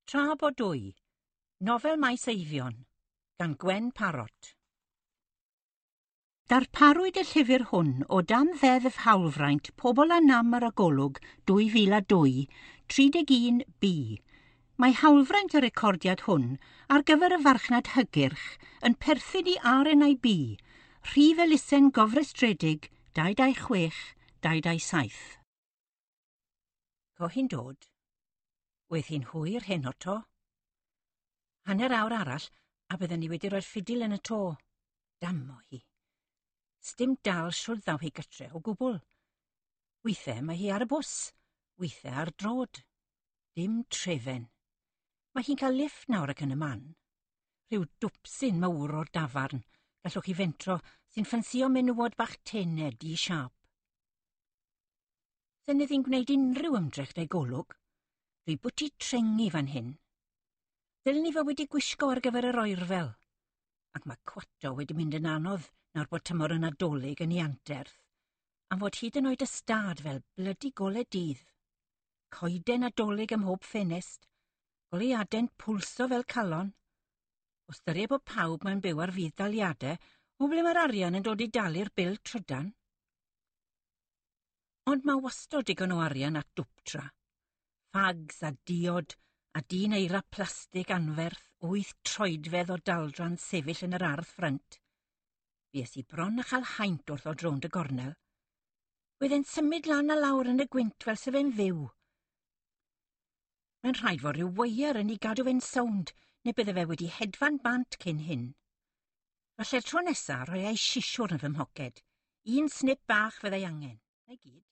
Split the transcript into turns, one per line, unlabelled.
Tra bo dwy, nofel Maes Eifion, gan Gwen Parot. Darparwyd y llyfr hwn o dan Ddeddf Hawlfraint Pobl â Nam ar y Golwg 2002, 31B. Mae hawlfraint y recordiad hwn ar gyfer y farchnad hygyrch yn perthyn i RNIB, rhif elusen gofrestredig 226 227. Co hi'n dod. Wedd hi'n hwyr heno 'to. Hanner awr arall a bydden ni wedi rhoi'r ffidil yn y to. Damo hi. Sdim dal shwd ddaw hi gytre o gwbl. Weithiau mae hi ar y bws, weithiau ar drod. Dim trefen. Mae hi'n cael lifft nawr ac yn y man. Rhyw dwpsyn mawr o'r dafarn, gallwch chi fentro, sy'n ffansio menywod bach tene, di-siâp. Sen iddi'n gwneud unrhyw ymdrech 'da'i golwg. Dwi bwti trengi fan hyn. Ddylen ni fod wedi gwisgo ar gyfer yr oerfel. Ac mae cwato wedi mynd yn anodd nawr bod tymor y Nadolig yn ei anterth, am fod hyd yn oed y stad fel blydi gole dydd. Coeden Nadolig ym mhob ffenest, goleuade'n pwlso fel calon. O ystyried bod pawb mae'n byw ar fudd-daliadau, o ble mae'r arian yn dod i dalu'r bil trydan? Ond mae wastod digon o arian at dwptra. Fags a diod a dyn eira plastig anferth 8 troedfedd o daldra'n sefyll yn yr ardd ffrynt. Fues i bron a chael haint wrth ddod rownd y gornel. Wedd e'n symud lan a lawr yn y gwynt fel se fe'n fyw. Mae'n rhaid fod rhyw weiar yn ei gadw fe'n sownd, neu bydde fe wedi hedfan bant cyn hyn. Falle'r tro nesa rhoi ei sisiwr yn fy mhoced. Un snip bach fyddai angen. 'Na gyd.